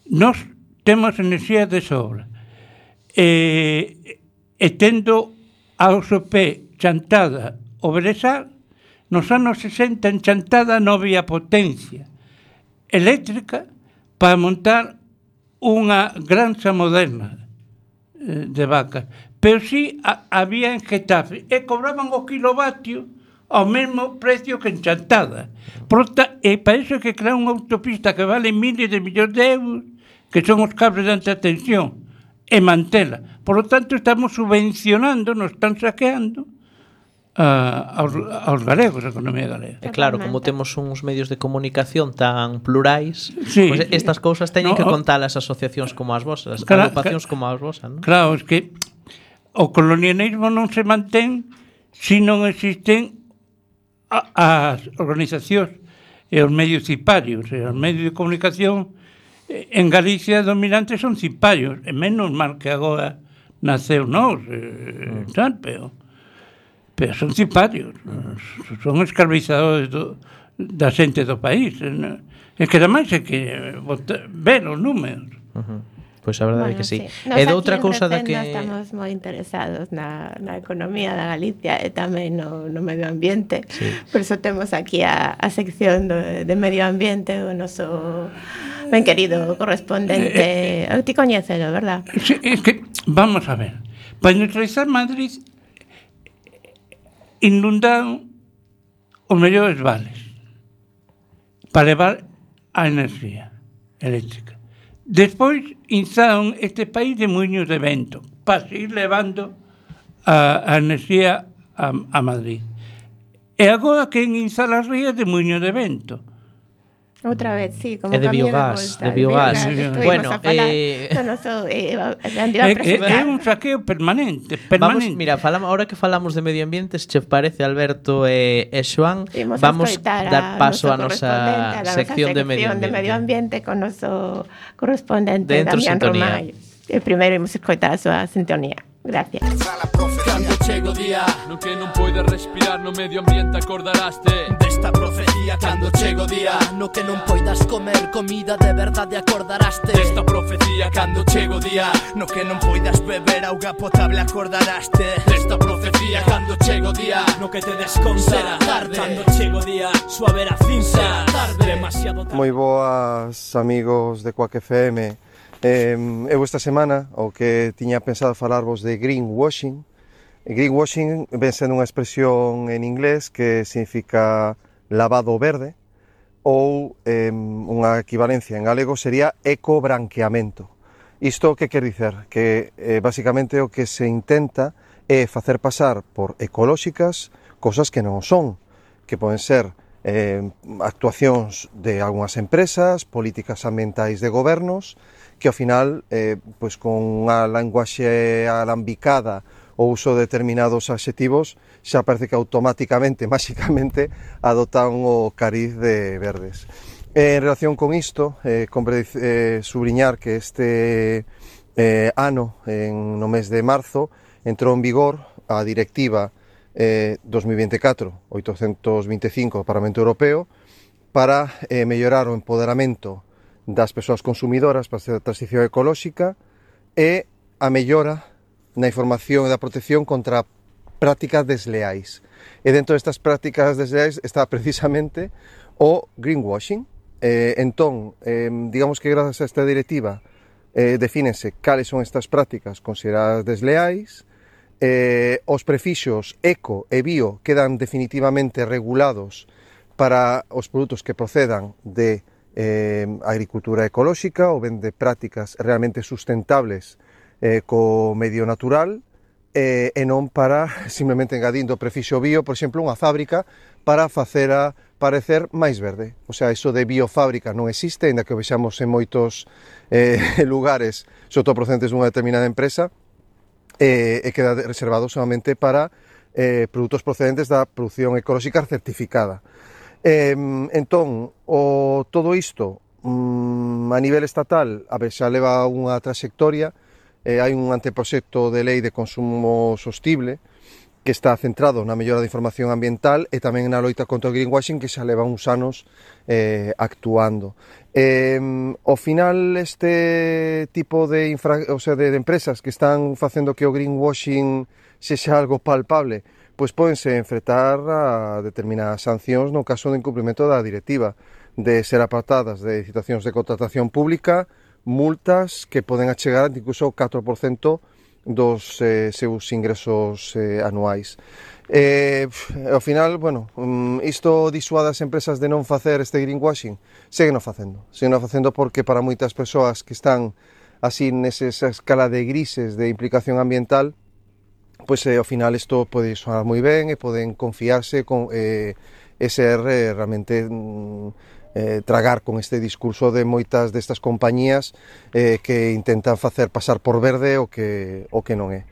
Speaker 4: Nos temos enerxía de sobra. E tendo a OSP chantada o Beresar, nos anos 60 en chantada non había potencia eléctrica para montar unha granxa moderna de vacas. Pero sí había en Getafe, e cobraban o kilovatio ao mesmo precio que en chantada. E para iso é que crear unha autopista que vale miles de millóns de euros, que son os cables de alta tensión, e mantela. Por lo tanto, estamos subvencionando, nos están saqueando aos galegos, a economía galega.
Speaker 3: E claro, como temos uns medios de comunicación tan plurais,
Speaker 4: sí,
Speaker 3: pues estas cousas teñen que contar as asociacións como as vosas, agrupacións como as vosas, non?
Speaker 4: Claro, es que o colonialismo non se mantén se non existen as organizacións e os medios ciparios, e os medios de comunicación en Galicia dominantes son ciparios, e menos mal que agora naceu nós, pero son ciparios, son escravizadores da xente do país. É que ademais é que ver os números.
Speaker 3: Pois a verdade é que sí.
Speaker 2: E
Speaker 3: doutra cousa da que
Speaker 2: estamos moi interesados na economía da Galicia e tamén no medio ambiente. Sí. Por iso temos aquí a sección de medio ambiente, o noso ben querido correspondente. Ti coñécelo, verdad?
Speaker 4: Sí, é que, vamos a ver, para neutralizar Madrid inundaron os mellores vales para levar a enerxía eléctrica. Despois instaron este país de muiños de vento para seguir levando a enerxía a Madrid. E agora que en instala as rías de muiño de vento.
Speaker 2: Outra vez, sí, como
Speaker 3: É de
Speaker 2: cambio
Speaker 3: biogás,
Speaker 2: volta,
Speaker 3: de biogás.
Speaker 2: Estuvimos
Speaker 3: Bueno,
Speaker 2: a falar do noso,
Speaker 4: É un saqueo permanente.
Speaker 3: Vamos, mira, ahora que falamos de medio ambiente, se che parece, Alberto e Xoán, vamos dar paso a nosa sección de medio ambiente
Speaker 2: con noso correspondente
Speaker 3: Dentro
Speaker 2: Damián
Speaker 3: sintonía.
Speaker 2: Romai. E primeiro imos escoitar a súa sintonía. Gracias.
Speaker 6: Cando chega o día no que non poides respirar, no medio ambiente acordaraste desta profecía. Cando chega o día no que non poidas comer comida de verdade, acordaraste desta profecía. Cando chega o día no que non poidas beber auga potable, acordaraste desta profecía. Cando chega o día no que te desconta tarde. Cando chega o día suave a cinza tarde, demasiado tarde.
Speaker 7: Moi boas, amigos de Quack FM. Eu esta semana o que tiña pensado falarvos de greenwashing. Greenwashing ven sendo unha expresión en inglés que significa lavado verde, ou unha equivalencia en galego sería ecobranqueamento. Isto que quer dicer? Que basicamente o que se intenta é facer pasar por ecolóxicas cosas que non son, que poden ser actuacións de algunhas empresas, políticas ambientais de gobernos, que ao final, pois con unha linguaxe alambicada o uso de determinados adxetivos, xa parece que automáticamente, máxicamente, adotan o cariz de verdes. En relación con isto, compre subliñar que este ano, no mes de marzo, entrou en vigor a Directiva 2024-825 do Parlamento Europeo para mellorar o empoderamento das persoas consumidoras para a transición ecolóxica e a mellora na información e da protección contra prácticas desleais. E dentro destas prácticas desleais está precisamente o greenwashing. Entón, digamos que grazas a esta directiva defínense cales son estas prácticas consideradas desleais, os prefixos eco e bio quedan definitivamente regulados para os produtos que procedan de agricultura ecolóxica ou ben de prácticas realmente sustentables co medio natural, e non para simplemente engadindo o prefixo bio, por exemplo, unha fábrica para facela parecer máis verde. O sea, iso de biofábrica non existe, ainda que o vexamos en moitos lugares, sobre todo procedentes dunha determinada empresa, e queda reservado solamente para produtos procedentes da produción ecolóxica certificada. Entón, todo isto a nivel estatal, a ver, xa leva unha trayectoria. Hai un anteproxecto de lei de consumo sostible que está centrado na mellora da información ambiental e tamén na loita contra o greenwashing, que xa leva uns anos actuando. Ao final, este tipo de empresas que están facendo que o greenwashing sexa algo palpable, pois pódense enfrentar a determinadas sancións no caso de incumprimento da directiva, de ser apartadas de licitacións de contratación pública, multas que poden achegar incluso ao 4% dos seus ingresos anuais. Ao final, bueno, isto disuade as empresas de non facer este greenwashing, seguen facendo porque para moitas persoas que están así nesa escala de grises de implicación ambiental, pois ao final isto pode sonar moi ben e poden confiarse e ser realmente tragar con este discurso de moitas destas compañías que intentan facer pasar por verde o que non é.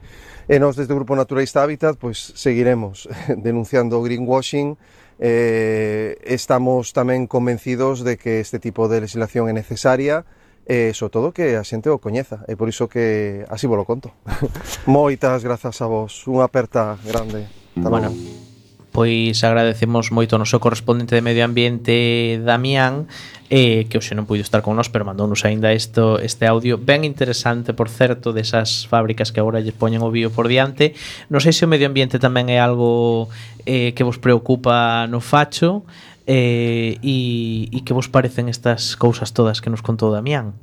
Speaker 7: E nós desde o Grupo Naturalista Hábitat pois seguiremos denunciando o greenwashing. Estamos tamén convencidos de que este tipo de legislación é necesaria e, sobre todo, que a xente o coñeza. E por iso que así vos lo conto. Moitas grazas a vos. Unha aperta grande.
Speaker 3: Bueno, pois agradecemos moito ao noso correspondente de Medio Ambiente, Damián, que hoxe non puido estar con nós, pero mandounos aínda este audio ben interesante, por certo, desas fábricas que agora lle poñen o bio por diante. Non sei se o medio ambiente tamén é algo que vos preocupa no facho, e que vos parecen estas cousas todas que nos contou Damián.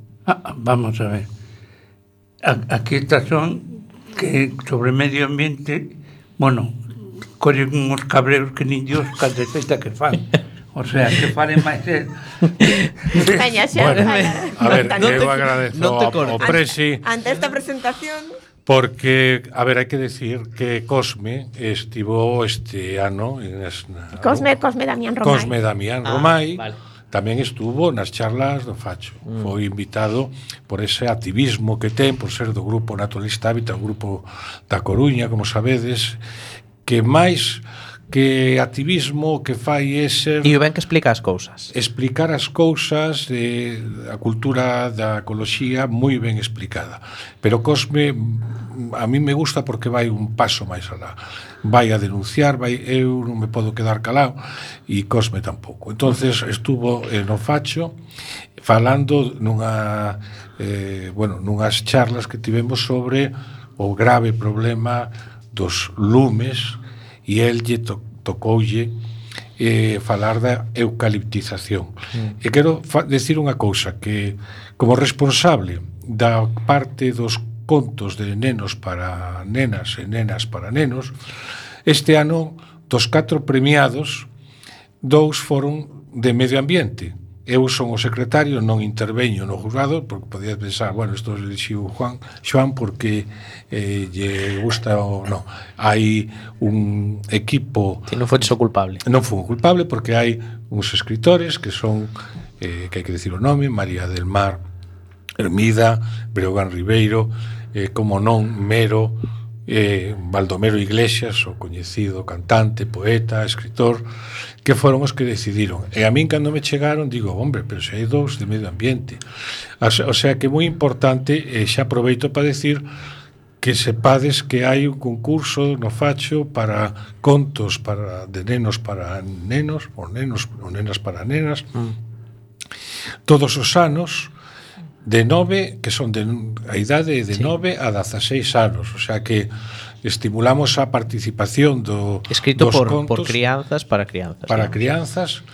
Speaker 4: Vamos a ver. Aquí estas son que sobre medio ambiente, bueno, collen uns cabreros que nin Dios caldeceta que fan. O sea, que falen máis el.
Speaker 2: Veña, xa,
Speaker 5: bueno, a ver, eu agradezo ao Presi.
Speaker 2: Ante esta presentación,
Speaker 5: Porque, a ver, hai que decir que Cosme estivo este ano
Speaker 2: Cosme Damián Romai.
Speaker 5: Cosme Damián Romai
Speaker 3: vale.
Speaker 5: tamén estuvo nas charlas do Facho. Foi invitado por ese activismo que ten, por ser do grupo Naturalista Hábitat, un grupo da Coruña, como sabedes, que máis que activismo que fai é ser
Speaker 3: E o ben que explica as cousas.
Speaker 5: explicar as cousas, a cultura da ecoloxía moi ben explicada. Pero Cosme a mí me gusta porque vai un paso máis alá. Vai a denunciar, eu non me podo quedar calado e Cosme tampouco. Entonces estuvo no Facho falando nunhas charlas que tivemos sobre o grave problema dos lumes e el lle tocoulle falar da eucaliptización. E quero decir unha cousa, que como responsable da parte dos contos de nenos para nenas e nenas para nenos, este ano dos 4 premiados, 2 foron de medio ambiente. Eu son o secretario, non interveño no jurado, porque podías pensar, bueno, isto elixiu Xoán porque lle gusta ou non. Hai un equipo...
Speaker 3: Si non foches o culpable.
Speaker 5: Non fui o culpable porque hai uns escritores que son, que hai que decir o nome, María del Mar Hermida, Breogán Ribeiro, como non, Mero, Baldomero Iglesias, o coñecido cantante, poeta, escritor, que foron os que decidiron. E a min, cando me chegaron, digo, hombre, pero se hai 2 de medio ambiente. O sea que é moi importante, xa aproveito para decir que sepades que hai un concurso no Facho para contos de nenos para nenos, ou nenas para nenas, todos os anos, de 9, que son a idade de 9 a 16 anos, o sea que estimulamos a participación
Speaker 3: escrito
Speaker 5: dos
Speaker 3: por
Speaker 5: contos
Speaker 3: crianzas para crianzas.
Speaker 5: Para crianzas,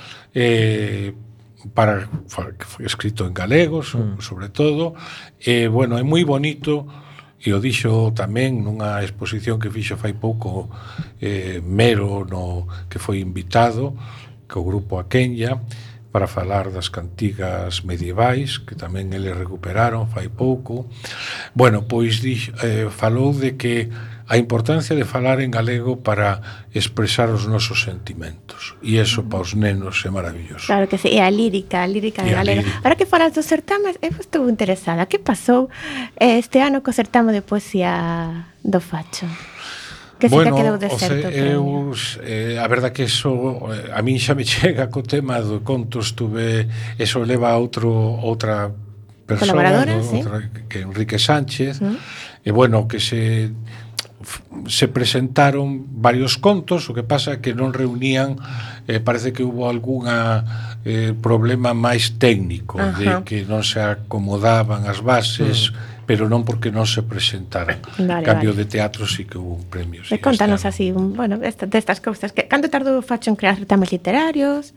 Speaker 5: escrito en galego, sobre todo. Bueno, é moi bonito, e o dixo tamén nunha exposición que fixo fai pouco Mero, que foi invitado co grupo Aquenya, para falar das cantigas medievais, que tamén eles recuperaron fai pouco. Bueno, pois falou de que a importancia de falar en galego para expresar os nosos sentimentos. E iso para os nenos é maravilloso.
Speaker 2: Claro que sí, e a lírica de galega. Ahora que falas dos certames, eu estou interesada. Que pasou este ano co certame de poesía do Facho? Que
Speaker 5: bueno,
Speaker 2: quedou deserto.
Speaker 5: A verdad que eso a min xa me chega co tema do contos, eso leva a outra persona,
Speaker 2: colaboradora, sí,
Speaker 5: que Enrique Sánchez, e bueno, que se presentaron varios contos, o que pasa é que non reunían, parece que hubo algunha problema máis técnico, de que non se acomodaban as bases, pero non porque non se presentaran. Cambio de teatro sí que hubo un premio. Sí,
Speaker 2: contanos así, destas cousas. Canto tardou o Facho en crear certames literarios?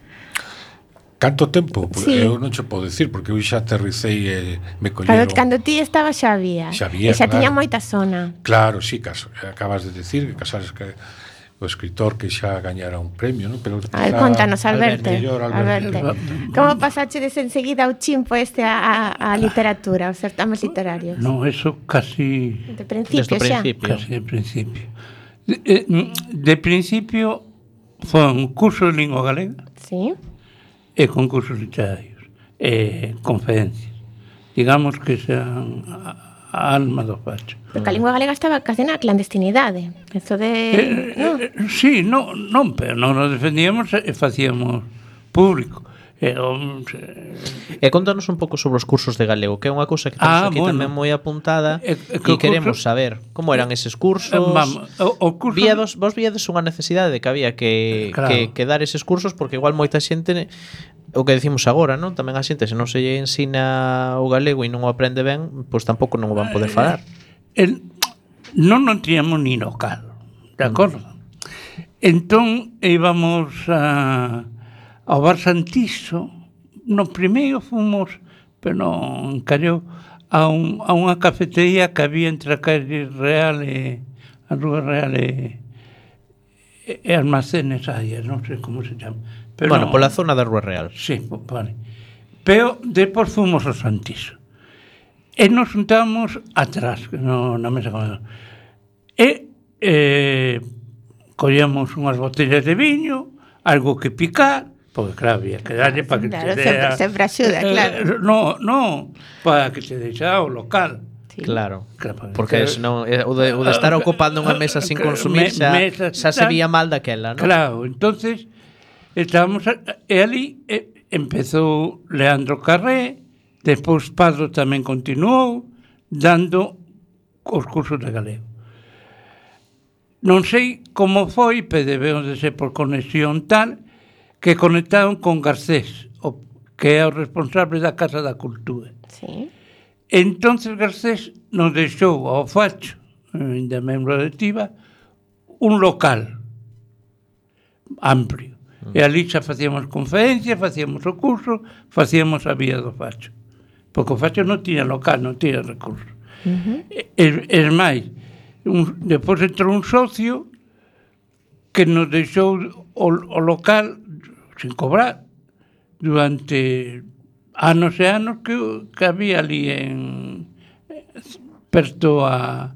Speaker 5: Canto tempo?
Speaker 2: Sí.
Speaker 5: Eu non che podo decir, porque eu xa aterricei e me colleron...
Speaker 2: Cando ti estaba xa había.
Speaker 5: Xa había,
Speaker 2: e xa tiña moita zona.
Speaker 5: Claro, sí, acabas de decir que Casares, que o escritor que xa gañara un premio, ¿no? Pero
Speaker 2: contanos, Alberto. Como pasachedes enseguida o chimpo a literatura, os certames literarios?
Speaker 4: No, eso casi...
Speaker 2: De principio xa?
Speaker 4: Casi de principio. De principio foi un curso de lingua galega.
Speaker 2: Sí.
Speaker 4: E concursos literarios. E conferencias. Digamos que sean a alma do Facho.
Speaker 2: Porque a lingua galega estaba casi na clandestinidade. Eso de...
Speaker 4: Sí, non, pero non nos defendíamos e facíamos público.
Speaker 3: E contanos un pouco sobre os cursos de galego, que é unha cousa que temos aquí tamén moi apuntada e queremos saber como eran eses cursos. Vos víades unha necesidade de que había que dar eses cursos, porque igual moita xente, o que decimos agora, non? Tamén a xente, se non se lle ensina o galego e non o aprende ben, pois tampouco non o van poder falar.
Speaker 4: Non tiñamos ni local, de acordo? Entón íbamos ao Bar Santiso. No primeiro fomos, pero non encallou, a unha cafetería que había entre a calle Real e a Rúa Real e Almacenes Ayas, non sei como se chama. Pero
Speaker 3: bueno, pola zona da Rúa Real.
Speaker 4: Sí, vale. Pero depois fomos ao Santiso. E nos juntamos atrás, na mesa comedor. E collemos unhas botellas de viño, algo que picar, porque claro, había que darlle para que
Speaker 2: claro,
Speaker 4: te dea...
Speaker 2: sempre axuda, claro.
Speaker 4: No, para que te deixa o local.
Speaker 2: Sí.
Speaker 3: Claro, porque senón o de estar ocupando unha mesa sin consumir xa se vía mal daquela, non?
Speaker 4: Claro, entonces estábamos e ali empezou Leandro Carré, despois Pardo tamén continuou dando os cursos de galego. Non sei como foi, pero debeu de ser por conexión tal, que conectaron con Garcés, que é o responsable da Casa da Cultura.
Speaker 2: Sí.
Speaker 4: Entonces Garcés nos deixou ao Facho, ainda membro directiva, un local amplio. E ali xa facíamos conferencias, facíamos o curso, facíamos a vía do Facho. Porque o Facho non tiña local, non tiña recursos. Es máis, depois entrou un socio que nos deixou o local sin cobrar durante anos e anos que había ali perto a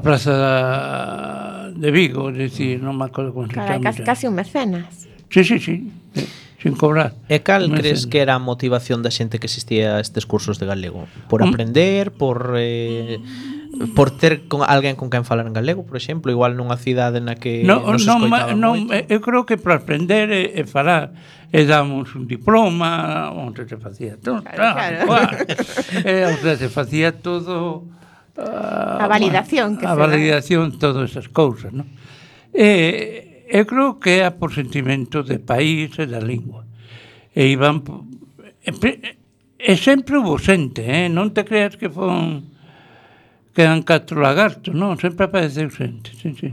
Speaker 4: Praza de Vigo, es decir, non me acordo como se chama.
Speaker 2: Casi un mecenas.
Speaker 4: Sí, sin cobrar.
Speaker 3: E cal crees que era a motivación da xente que existía a estes cursos de galego? Por aprender, por ter con alguén con quen falar en galego, por exemplo, igual nunha cidade na que non se escoitaba moito?
Speaker 4: Eu creo que para aprender e falar e damos un diploma onde se facía todo, claro. Onde se facía todo
Speaker 2: a validación,
Speaker 4: a validación, todas esas cousas, non? Eu creo que é por sentimento de país e da lingua. E iban e sempre hubo xente, non te creas que quedan 4 lagartos, non, sempre apareceu xente, sí.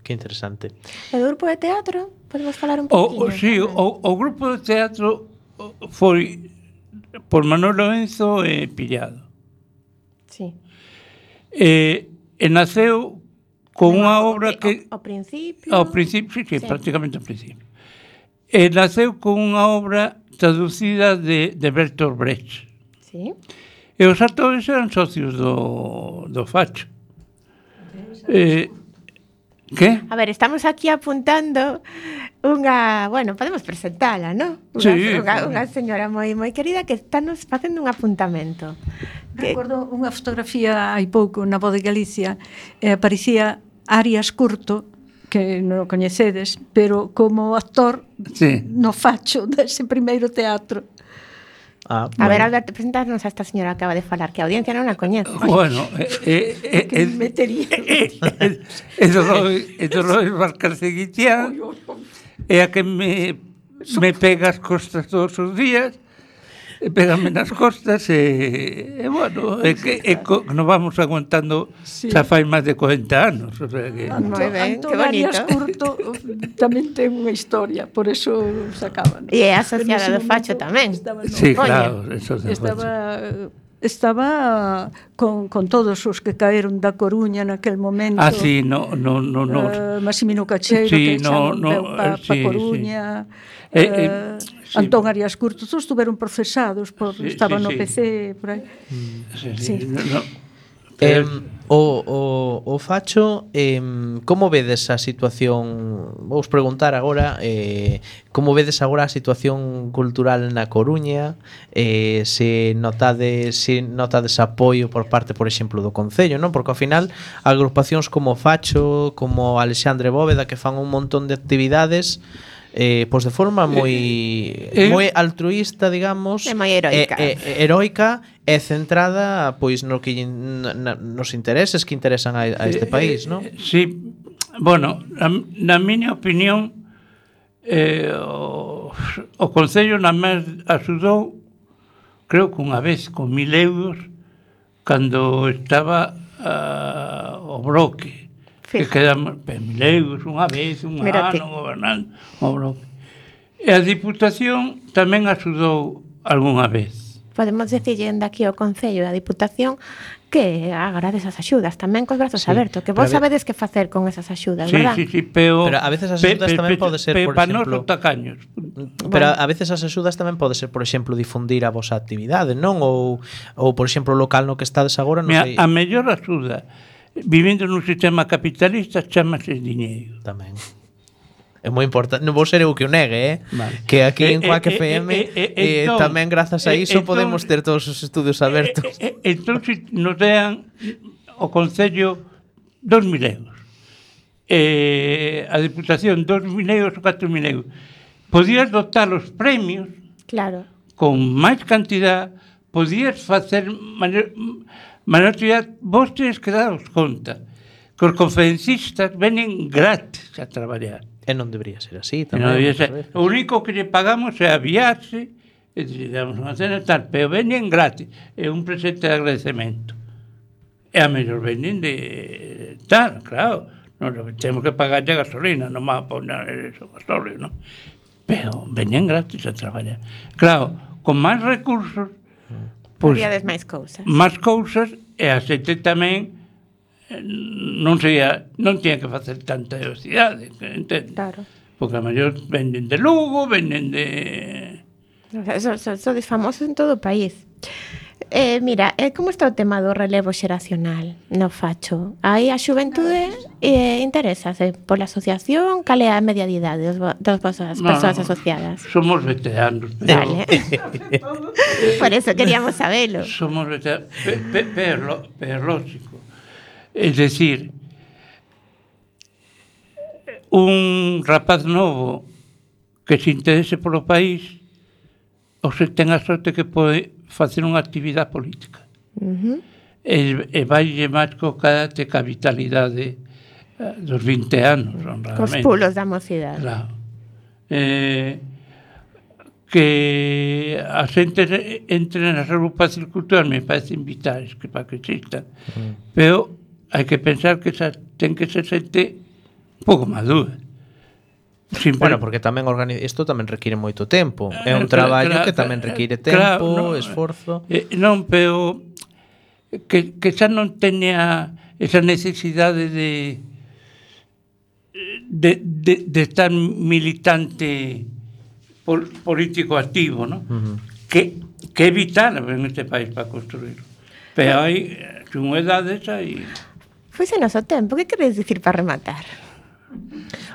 Speaker 3: Que interesante.
Speaker 2: E do grupo de teatro, podemos falar un poquinho?
Speaker 4: Sí, o grupo de teatro foi por Manuel Lorenzo e Pillado.
Speaker 2: Sí.
Speaker 4: E naceu con unha obra que...
Speaker 2: Ao principio...
Speaker 4: Ao principio, sí, prácticamente ao principio. E naceu con unha obra traducida de Bertolt Brecht.
Speaker 2: Sí.
Speaker 4: E os actores eran socios do Facho. Que?
Speaker 2: A ver, estamos aquí apuntando unha... Bueno, podemos presentala, non? Unha señora moi querida que estános facendo un apuntamento.
Speaker 8: Recordo unha fotografía hai pouco na Voz de Galicia, aparecía Arias Curto, que non o coñecedes, pero como actor no Facho dese primeiro teatro.
Speaker 2: A ver, Alberto, presentarnos a esta señora que acaba de falar, que a audiencia non a coñece.
Speaker 4: Bueno,
Speaker 8: que metería.
Speaker 4: É do Roy Valcarceguitián, é a que me pega as costas todos os días, pégame nas costas e bueno, nos vamos aguantando xa fai máis de 40 anos, o sea que...
Speaker 2: Moi ben, que bonito.
Speaker 8: Arias Curto tamén ten unha historia, por eso sacaban.
Speaker 2: E é asociada do Facho tamén.
Speaker 4: Sí, claro, eso
Speaker 8: estaba con todos os que caeron da Coruña naquel momento.
Speaker 4: Sí,
Speaker 8: Massimino Cacheiro, que xa non pa Coruña. Antón Arias Curto, todos estuveron procesados estaban no PC por aí.
Speaker 3: O Facho, como vedes a situación? Vou preguntar agora, como vedes agora a situación cultural na Coruña? Se notades apoio por parte, por exemplo, do Concello, non? Porque ao final agrupacións como Facho, como Alexandre Bóveda, que fan un montón de actividades, pois de forma moi altruísta, digamos,
Speaker 2: e moi
Speaker 3: heroica e centrada pois no que nos intereses que interesan a este país, non?
Speaker 4: Sí, bueno, na miña opinión o Concello na máis axudou, creo que unha vez con 1.000 euros cando estaba o bloque. Que quedamos 1.000 euros unha vez, un ano gobernando o bloque. E a Diputación tamén axudou algunha vez.
Speaker 2: podemos decirlle de aquí ao Concello e a Diputación que agradece as axudas tamén cos brazos abertos, que vos sabedes que facer con esas axudas, verdad?
Speaker 4: Sí, pero
Speaker 3: a veces as axudas tamén pode ser, por exemplo,
Speaker 4: tacaños.
Speaker 3: Pero a veces as axudas tamén pode ser, por exemplo, difundir a vosa actividade, non? Ou por exemplo, o local no que estades agora, non sei.
Speaker 4: A mellor axuda, vivindo nun sistema capitalista, chamase diñeiro.
Speaker 3: Tamén. É moi importante, non vou ser eu que o negue, vale. Que aquí en Quack FM tamén grazas a iso podemos ter todos os estudios abertos.
Speaker 4: Entón, nos dean o Concello 2.000 euros, a Diputación 2.000 euros ou 4.000 euros. Podías dotar os premios,
Speaker 2: claro,
Speaker 4: con máis cantidad, podías facer maior actividade. Vos tenes que daros conta que os conferencistas venen gratis a traballar.
Speaker 3: E non debería ser así
Speaker 4: tamén. O único que lle pagamos é aviarse, e damos unha cena e tal, pero venen gratis. É un presente de agradecemento. E a mellor venen de tal, claro. Non temos que pagarlle a gasolina, non va a poner eso gasolio, non? Pero venen gratis a traballar. Claro, con máis recursos,
Speaker 2: podíades máis cousas.
Speaker 4: Máis cousas, e a xente tamén non tiña que facer tanta velocidade, entende?
Speaker 2: Claro.
Speaker 4: Porque a mellor venden de Lugo, venden de...
Speaker 2: Sodes famosos en todo o país. Mira, como está o tema do relevo xeracional no facho? Aí a xuventude interésase pola asociación? Cal é a media de idade das vosas persoas asociadas?
Speaker 4: Somos veteranos.
Speaker 2: Vale. Por eso queríamos sabelo.
Speaker 4: Somos veteranos, pero lógico. Es decir, un rapaz novo que se interese polo país ou se ten a sorte que pode facer unha actividade política. E vaille máis co carácter ca vitalidade dos 20 anos, honradamente.
Speaker 2: Cos pulos da mocidade.
Speaker 4: Claro. Que a xente entre nas agrupacións culturales me parecen vitais que para que existan. Pero hai que pensar que ten que ser xente un pouco madura.
Speaker 3: Bueno, porque tamén isto tamén require moito tempo. É un traballo que tamén require tempo, esforzo.
Speaker 4: Non, pero que xa non teña esa necesidade de estar militante político activo, non? Que é vital en este país para construirlo. Pero hai unha edade esa e...
Speaker 2: Foi o noso tempo, que queres dicir para rematar?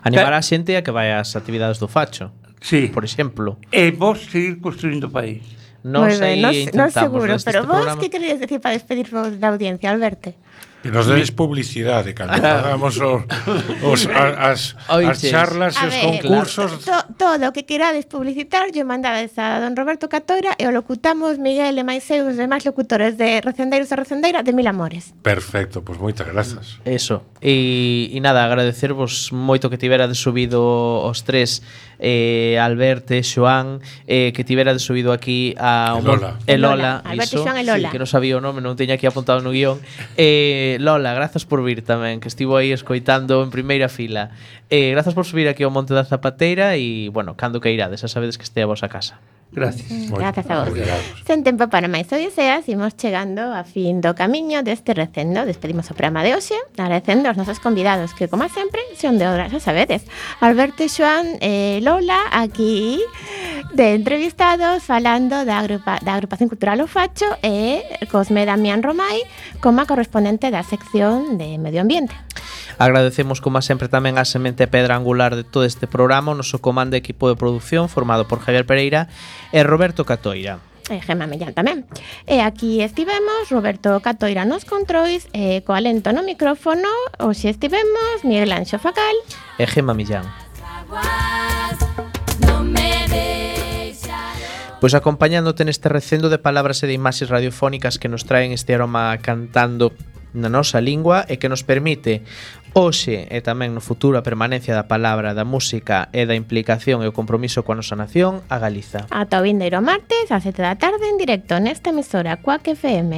Speaker 3: Animar a xente a que vai ás actividades do facho,
Speaker 4: sí,
Speaker 3: por exemplo.
Speaker 4: E vos seguir construindo o país.
Speaker 3: Non sei, intentamos.
Speaker 2: Non seguro, pero vos que querías decir para despedirvos da audiencia, Alberto?
Speaker 5: Que nos dedes publicidade cando pagamos as charlas e os concursos.
Speaker 2: Todo o que querades publicitar yo mandades a don Roberto Catoira e o locutamos Miguel e máis eu os demais locutores de Recendeiros e Recendeira de Mil Amores.
Speaker 5: Perfecto, pois moitas grazas.
Speaker 3: Eso, e nada, agradecervos moito que tiverades subido os tres, Alberto e Xoán, que tiverades subido aquí a Lola.
Speaker 2: Alberto, Xoán e Lola.
Speaker 3: Sí, que non sabía o nome, non teña aquí apuntado no guión. Lola, grazas por vir tamén, que estivo aí escoitando en primeira fila. Grazas por subir aquí ao Monte da Zapateira e, bueno, cando que irades, xa sabedes que este a vosa casa.
Speaker 4: Gracias.
Speaker 2: Grazas a vos. Sen tempo para máis odiseas, imos chegando a fin do camiño deste recendo. Despedimos o programa de hoxe, agradecendo aos nosos convidados que, como sempre, son de obra, xa sabedes. Alberto e Xoán e Lola, aquí de entrevistados, falando da agrupación cultural O Facho e Cosme Damián Romai como a correspondente da sección de Medio Ambiente.
Speaker 3: Agradecemos, como sempre, tamén a semente pedra angular de todo este programa, o noso comando de equipo de produción formado por Javier Pereira e Roberto Catoira.
Speaker 2: E Gemma Millán tamén. E aquí estivemos Roberto Catoira nos controis e co alento no micrófono hoxe estivemos Miguel Anxo Facal
Speaker 3: e Gemma Millán. Pois acompañándote neste recendo de palabras e de imaxes radiofónicas que nos traen este aroma cantando na nosa lingua e que nos permite hoxe e tamén no futuro a permanencia da palabra, da música e da implicación e o compromiso coa nosa nación, a Galiza.
Speaker 2: Ata o vindeiro martes, ás 7 da tarde, en directo nesta emisora Quack FM.